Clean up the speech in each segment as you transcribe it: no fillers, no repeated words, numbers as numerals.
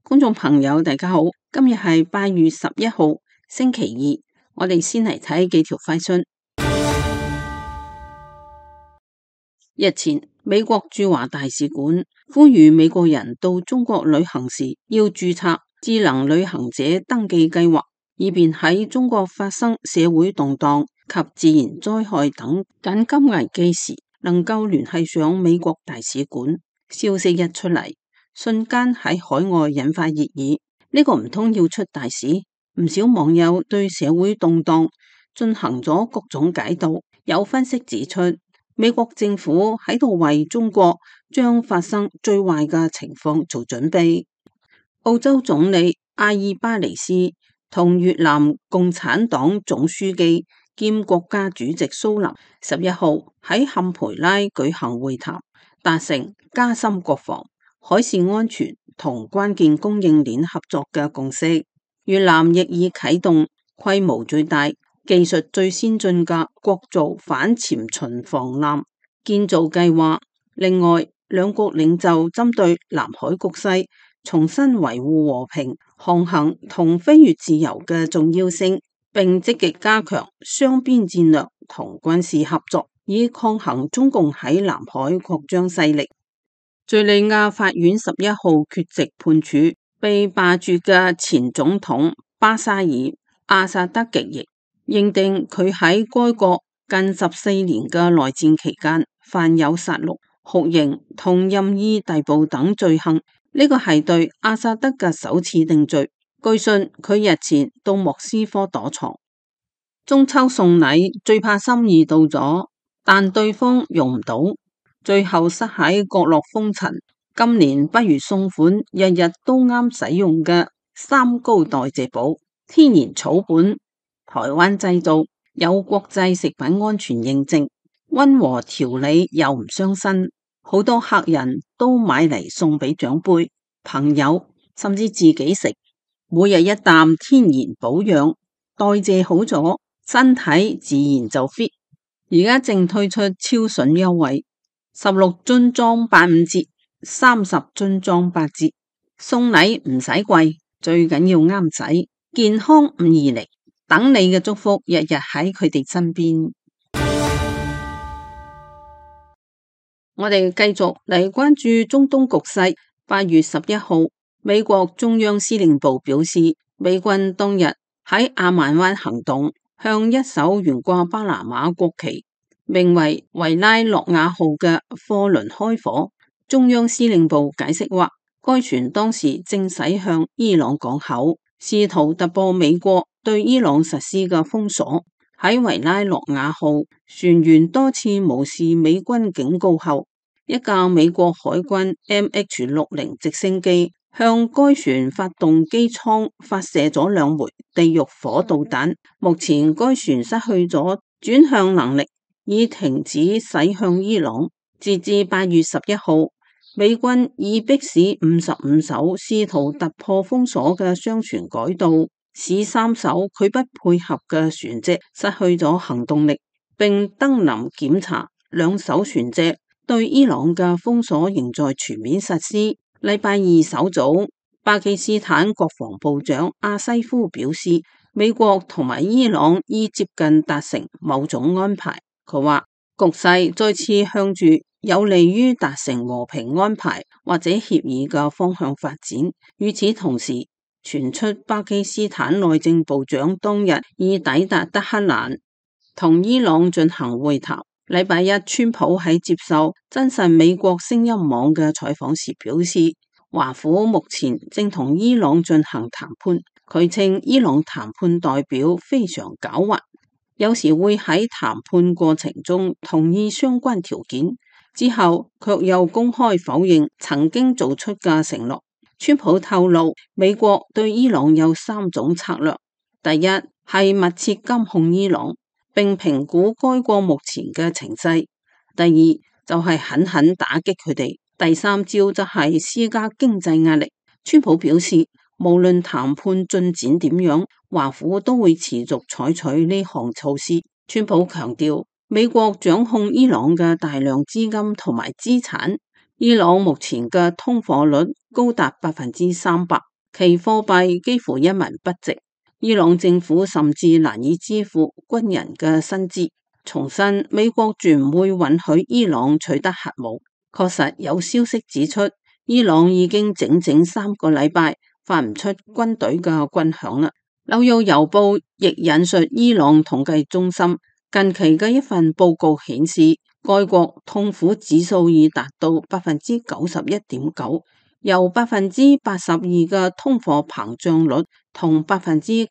觀眾朋友大家好，今日係8月11號星期二，我哋先嚟睇幾條快訊。日前，美國駐華大使館呼籲美國人到中國旅行時要註冊智能旅行者登記計劃，以便喺中國發生社會動盪及自然災害等緊急危機時，能夠聯繫上美國大使館。消息一出嚟，瞬間喺海外引發熱議。呢個唔通要出大使？唔少網友對社會動盪進行咗各種解讀。有分析指出，美國政府喺度為中國將發生最壞嘅情況做準備。澳洲總理阿爾巴尼斯同越南共產黨總書記兼國家主席蘇林11號喺坎培拉舉行會談，達成加深國防、海事安全同關鍵供應鏈合作嘅共識。越南亦已啟動規模最大、技術最先進嘅國造反潛巡防艦建造計劃。另外，兩國領袖針對南海局勢重新維護和平、航行同飛越自由嘅重要性，並積極加強雙邊戰略同軍事合作，以抗衡中共喺南海擴張勢力。敘利亞法院11號缺席判處被罷黜嘅前總統巴沙爾·阿薩德極刑，認定佢喺該國近14年嘅內戰期間犯有殺戮、酷刑同任意逮捕等罪行。呢個係對阿薩德嘅首次定罪。據信佢日前到莫斯科躲藏。中秋送禮最怕心意到咗，但對方用唔到，最後塞喺角落封塵。今年不如送款日日都啱使用嘅三高代謝寶，天然草本，台灣製造，有國際食品安全認證，溫和調理又唔傷身。好多客人都買嚟送俾長輩、朋友，甚至自己食。每日一啖天然保養，代謝好咗，身體自然就 fit。而家正推出超筍優惠，16樽裝85折，30樽裝8折。送禮唔使貴，最緊要啱使，健康唔易嚟，等你嘅祝福日日喺佢哋身邊。我哋繼續嚟關注中東局勢。8月11號，美國中央司令部表示，美軍當日喺阿曼灣行動，向一艘懸掛巴拿馬國旗、名為維拉諾亞號嘅貨輪開火。中央司令部解釋話，該船當時正駛向伊朗港口，試圖突破美國對伊朗實施嘅封鎖。喺維拉諾亞號，船員多次無視美軍警告後，一架美國海軍 MH-60 直升機向該船發動機艙發射咗2枚地獄火導彈。目前該船失去咗轉向能力，已停止駛向伊朗。截至8月11號，美軍已迫使55艘試圖突破封鎖嘅商船改道，使3艘拒不配合嘅船隻失去咗行動力，並登臨檢查2艘船隻。對伊朗嘅封鎖仍在全面實施。禮拜二首早，巴基斯坦國防部長阿西夫表示，美國同埋伊朗已接近達成某種安排。佢話，局勢再次向住有利於達成和平安排或者協議嘅方向發展。與此同時，傳出巴基斯坦內政部長當日已抵達德黑蘭，同伊朗進行會談。禮拜一，川普喺接受真實美國聲音網嘅採訪時表示，華府目前正同伊朗進行談判。佢稱伊朗談判代表非常狡猾，有時會喺談判過程中同意相關條件，之後卻又公開否認曾經做出嘅承諾。川普透露，美國對伊朗有3種策略：第一係密切監控伊朗，並評估該國目前嘅情勢；第二就係狠狠打擊佢哋；第3招則係施加經濟壓力。川普表示，無論談判進展點樣，華府都會持續採取呢項措施。川普強調，美國掌控伊朗嘅大量資金同埋資產。伊朗目前嘅通貨率高達300%，其貨幣幾乎一文不值。伊朗政府甚至難以支付軍人嘅薪資。重申美國絕唔會允許伊朗取得核武。確實有消息指出，伊朗已經整整3個禮拜發唔出軍隊嘅軍響啦。紐約郵報亦引述伊朗統計中心近期嘅一份報告顯示，該國痛苦指數已達到91.9%，由82%嘅通貨膨脹率同9.1%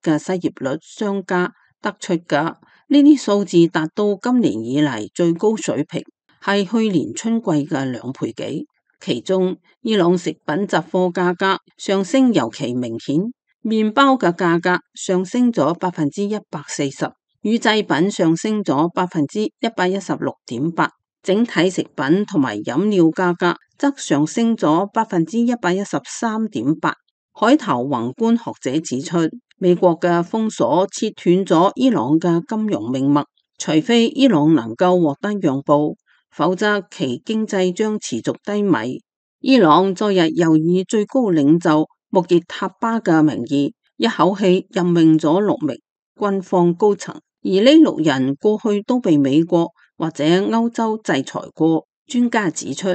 嘅失業率相加得出嘅。呢啲數字達到今年以嚟最高水平，係去年春季嘅2倍幾。其中，伊朗食品雜貨價格上升尤其明顯。麵包嘅價格上升咗140%，乳製品上升咗116.8%，整體食品同埋飲料價格則上升咗113.8%。海頭宏觀學者指出，美國嘅封鎖切斷咗伊朗嘅金融命脈，除非伊朗能夠獲得讓步，否則其經濟將持續低迷。伊朗昨日又以最高領袖穆傑塔巴嘅名義，一口氣任命咗6名軍方高層，而呢6人過去都被美國或者歐洲制裁過。專家指出，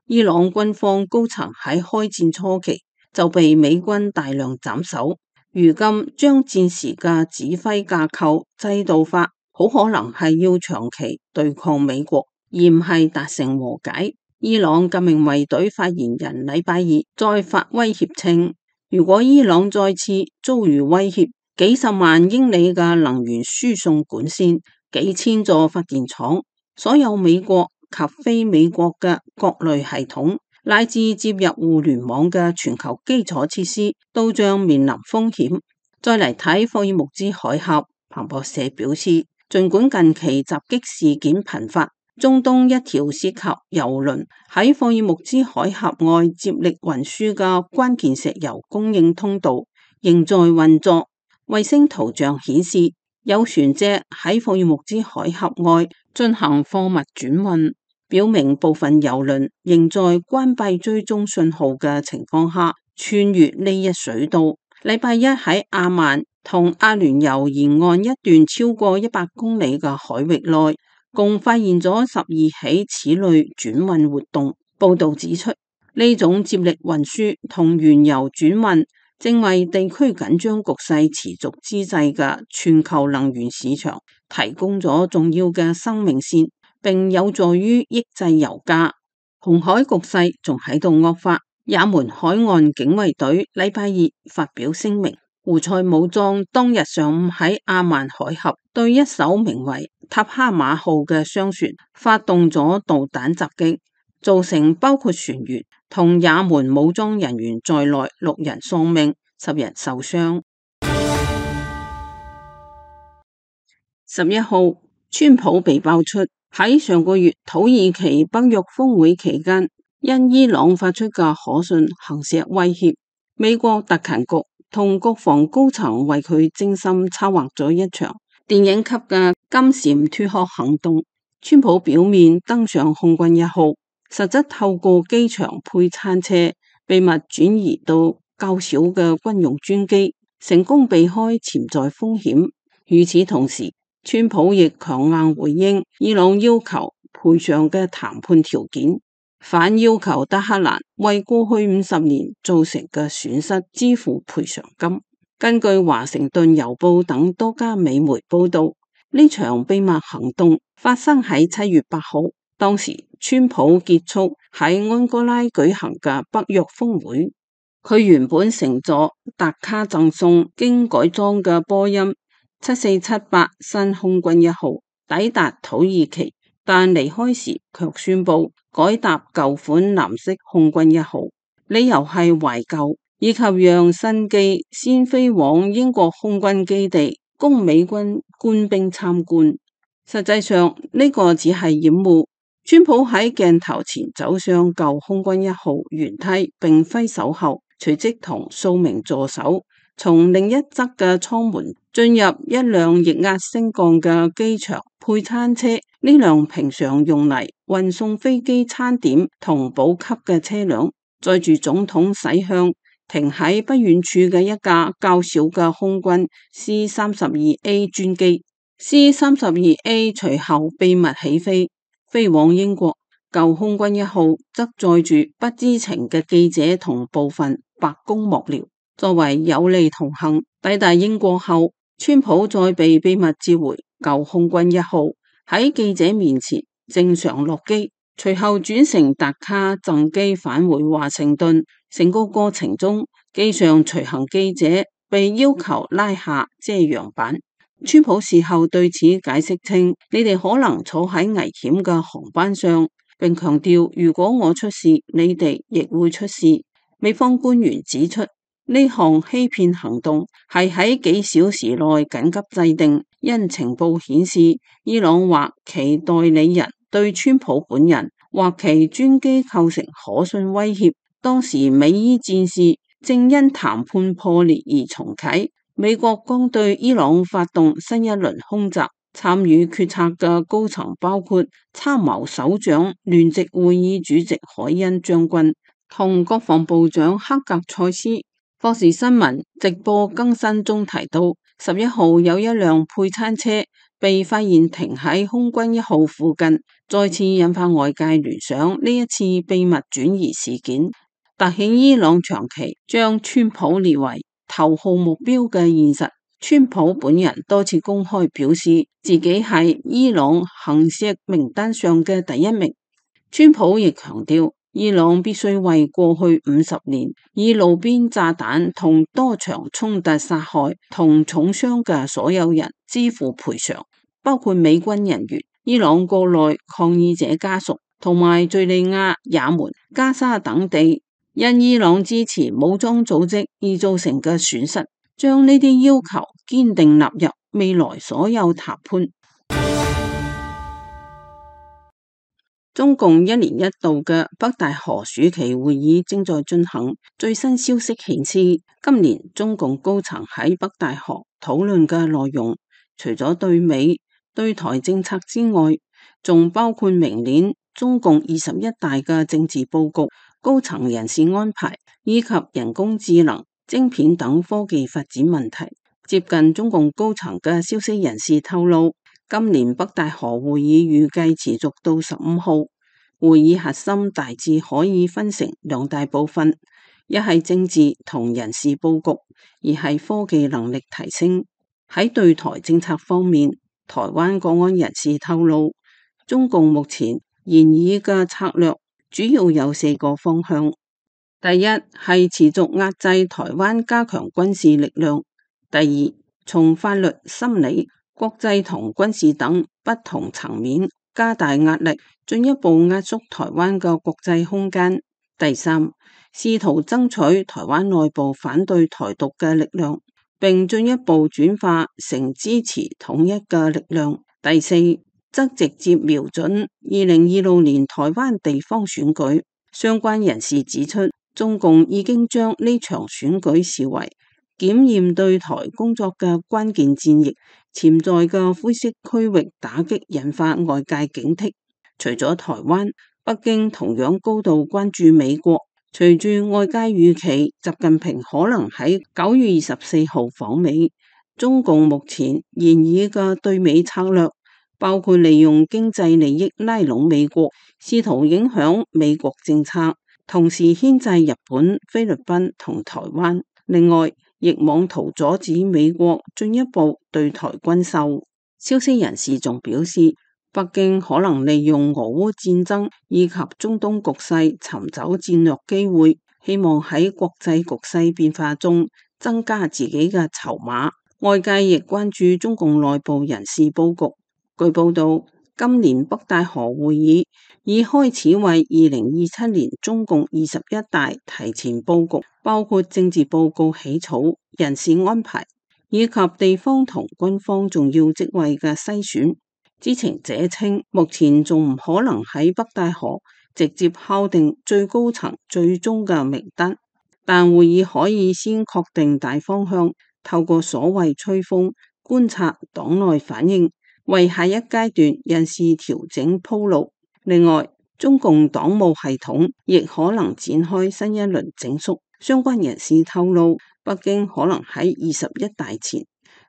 伊朗軍方高層喺開戰初期就被美軍大量斬首，如今將戰時嘅指揮架構制度化，好可能係要長期對抗美國，而唔係達成和解。伊朗革命衛隊發言人禮拜二再發威脅稱，如果伊朗再次遭遇威脅，幾十萬英里嘅能源輸送管線、幾千座發電廠、所有美國及非美國嘅各類系統，乃至接入互聯網嘅全球基礎設施，都將面臨風險。再嚟睇霍爾木茲海峽，彭博社表示，儘管近期襲擊事件頻發，中東一條涉及油輪喺霍爾木茲海峽外接力運輸嘅關鍵石油供應通道仍在運作。衛星圖像顯示，有船隻喺霍爾木茲海峽外進行貨物轉運，表明部分油輪仍在關閉追蹤信號嘅情況下穿越呢一水道。禮拜一喺阿曼同阿聯酋沿岸一段超過100公里嘅海域內，共發現咗12起此類轉運活動。報道指出，呢種接力運輸同原油轉運正為地區緊張局勢持續之際嘅全球能源市場提供咗重要嘅生命線，並有助於抑制油價。紅海局勢仲喺度惡化，也門海岸警衛隊禮拜二發表聲明，胡塞武裝當日上午喺阿曼海峽對一艘名為塔哈馬號嘅商船發動咗導彈襲擊，造成包括船員同也門武裝人員在內6人喪命，10人受傷。11號，川普被爆出喺上個月土耳其北約峰會期間，因伊朗發出嘅可信行竊威脅，美國特勤局同國防高層為佢精心策劃咗一場電影級嘅金蟬脫殼行動。川普表面登上空軍1號，實質透過機場配餐車秘密轉移到較小嘅軍用專機，成功避開潛在風險。與此同時，川普亦強硬回應伊朗要求賠償嘅談判條件，反要求德黑蘭為過去50年造成嘅損失支付賠償金。根據華盛頓郵報等多家美媒報道，呢場秘密行動發生喺7月8號，當時川普結束喺安哥拉舉行嘅北約峰會。佢原本乘坐達卡贈送經改裝嘅波音7478新空軍1號抵達土耳其，但離開時卻宣布改搭舊款藍色空軍1號，理由係懷舊以及讓新機先飛往英國空軍基地供美軍官兵參觀。實際上呢個只係掩護。川普喺鏡頭前走上舊空軍1號舷梯並揮手後，隨即同數名助手從另一側嘅艙門進入一輛液壓升降嘅機場配餐車。呢輛平常用嚟運送飛機餐點同補給嘅車輛載住總統駛向停喺不遠處嘅一架較小嘅空軍 C-32A 專機。C-32A 隨後秘密起飛，飛往英國。舊空軍一號則載住不知情嘅記者同部分白宮幕僚，作為有利同行。抵達英國後，川普再被秘密接回舊空軍一號，喺記者面前正常落機，隨後轉乘達卡贈機返回華盛頓。整個過程中，機上隨行記者被要求拉下遮陽板。川普事後對此解釋稱：你哋可能坐喺危險嘅航班上，並強調如果我出事，你哋亦會出事。美方官員指出，呢項欺騙行動係喺幾小時內緊急制定，因情報顯示伊朗或其代理人對川普本人或其專機構成可信威脅。當時美伊戰事正因談判破裂而重啟。美國剛對伊朗發動新一輪空襲，參與決策嘅高層包括參謀首長聯席會議主席海恩將軍同國防部長克格塞斯。霍士新聞直播更新中提到，11號有一輛配餐車被發現停喺空軍一號附近，再次引發外界聯想呢一次秘密轉移事件，凸顯伊朗長期將川普列為頭號目標嘅現實。川普本人多次公開表示自己係伊朗行刺名單上嘅第一名。川普亦強調，伊朗必須為過去50年以路邊炸彈同多場衝突殺害同重傷嘅所有人支付賠償，包括美軍人員、伊朗國內抗議者家屬同埋敘利亞、也門、加沙等地因伊朗支持武裝組織而造成嘅損失，將呢啲要求堅定納入未來所有談判。中共一年一度嘅北戴河暑期會議正在進行，最新消息顯示，今年中共高層喺北戴河討論嘅內容，除咗對美、對台政策之外，仲包括明年中共21大嘅政治佈局、高層人事安排以及人工智能、晶片等科技發展問題。接近中共高層嘅消息人士透露，今年北戴河會議預計持續到15號。會議核心大致可以分成兩大部分，一係政治同人事佈局，二係科技能力提升。喺對台政策方面，台灣國安人士透露，中共目前研擬嘅策略主要有4個方向。第一係持續壓制台灣，加強軍事力量；第二，從法律、心理、國際同軍事等不同層面加大壓力，進一步壓縮台灣嘅國際空間；第三，試圖爭取台灣內部反對台獨嘅力量，並進一步轉化成支持統一嘅力量；第四，則直接瞄準2026年台灣地方選舉。相關人士指出，中共已經將呢場選舉視為檢驗對台工作嘅關鍵戰役，潛在嘅灰色區域打擊引發外界警惕。除咗台灣，北京同樣高度關注美國。隨住外界預期習近平可能喺9月24號訪美，中共目前研擬嘅對美策略包括利用經濟利益拉攏美國，試圖影響美國政策，同時牽制日本、菲律賓同台灣。另外，亦妄圖阻止美國進一步對台軍售。消息人士仲表示，北京可能利用俄烏戰爭以及中東局勢尋找戰略機會，希望喺國際局勢變化中增加自己嘅籌碼。外界亦關注中共內部人事佈局。據報道，今年北戴河會議已開始為2027年中共21大提前佈局，包括政治報告起草、人事安排以及地方同軍方重要職位嘅篩選。知情者稱，目前仲唔可能喺北戴河直接敲定最高層最終嘅名單，但會議可以先確定大方向，透過所謂吹風觀察黨內反應，為下一階段人事調整鋪路。另外，中共黨務系統亦可能展開新一輪整肅，相關人士透露，北京可能喺21大前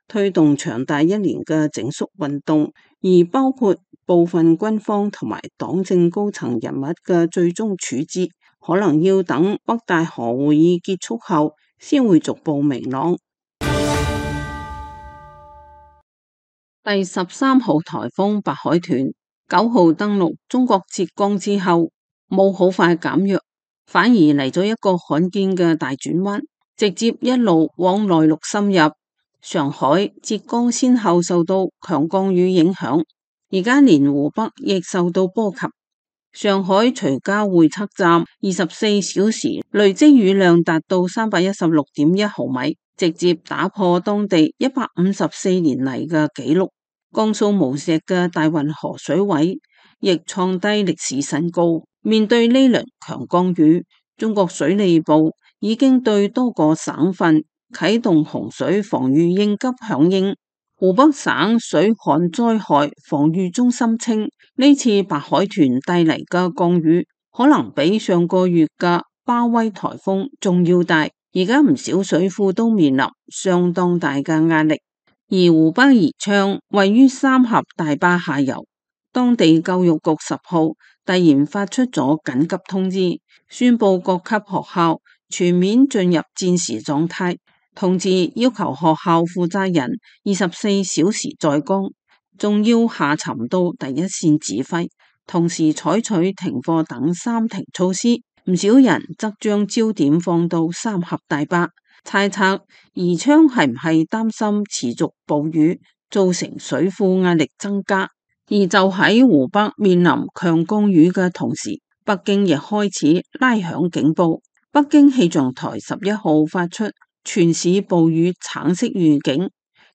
推動長達1年嘅整肅運動，而包括部分軍方同埋黨政高層人物嘅最終處置，可能要等北戴河會議結束後先會逐步明朗。第13號颱風白海豚9號登陸中國浙江之後，冇好快減弱，反而嚟咗一個罕見嘅大轉彎，直接一路往內陸深入。上海、浙江先後受到強降雨影響，而家連湖北亦受到波及。上海徐家匯測站24小時累積雨量達到316.1毫米，直接打破當地154年嚟嘅紀錄。江蘇無錫嘅大運河水位亦創低歷史新高。面對呢輪強降雨，中國水利部已經對多個省份啟動洪水防禦應急響應。湖北省水旱災害防禦中心稱，呢次白海豚帶嚟嘅降雨可能比上個月嘅巴威颱風仲要大，而家唔少水庫都面臨相當大嘅壓力。而湖北宜昌位於三峽大壩下游，當地教育局10號突然發出咗緊急通知，宣布各級學校全面進入戰時狀態，同時要求學校負責人24小時在崗，仲要下沉到第一線指揮，同時採取停課等3停措施。唔少人則將焦點放到三峽大壩，猜測宜昌係唔係擔心持續暴雨造成水庫壓力增加。而就喺湖北面臨強降雨嘅同時，北京亦開始拉響警報。北京氣象台11號發出全市暴雨橙色預警，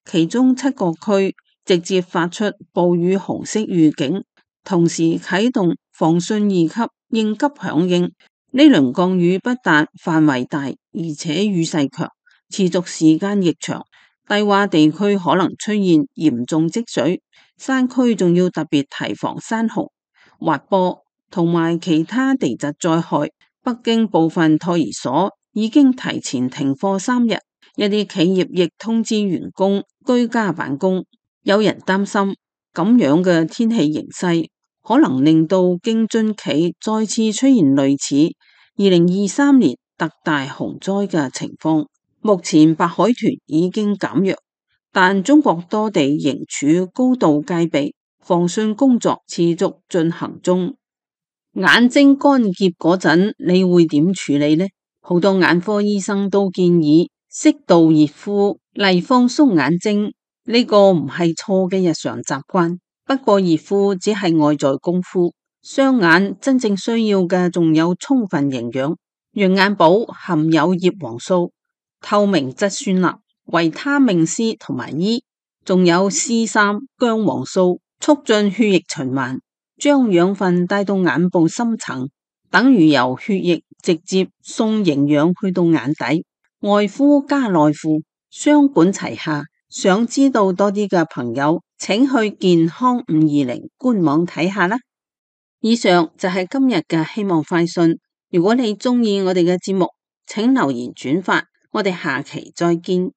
其中7個區直接發出暴雨紅色預警，同時啟動防汛2級應急響應。呢輪降雨不但範圍大，而且雨勢強，持續時間亦長，低洼地區可能出現嚴重積水，山區仲要特別提防山洪、滑坡同埋其他地質災害。北京部分托兒所已經提前停課3日，一啲企業亦通知員工居家辦公。有人擔心咁樣嘅天氣形勢可能令到京津冀再次出現類似2023年特大洪災嘅情況。目前白海豚已經減弱，但中國多地仍處高度戒備，防汛工作持續進行中。眼睛乾澀嗰陣，你會點處理呢？好多眼科醫生都建議適度熱敷嚟放鬆眼睛，呢個唔係錯嘅日常習慣。不過熱敷只係外在功夫，雙眼真正需要嘅仲有充分營養。羊眼寶含有葉黃素、透明質酸鈉、維他命 C 同埋 E， 仲有 C3 薑黃素，促進血液循環，將養分帶到眼部深層，等於由血液直接送營養去到眼底。外敷加內敷，雙管齊下。想知道多啲嘅朋友，請去健康520官網睇下啦。以上就係今日嘅希望快訊。如果你鍾意我哋嘅節目，請留言轉發。我哋下期再見。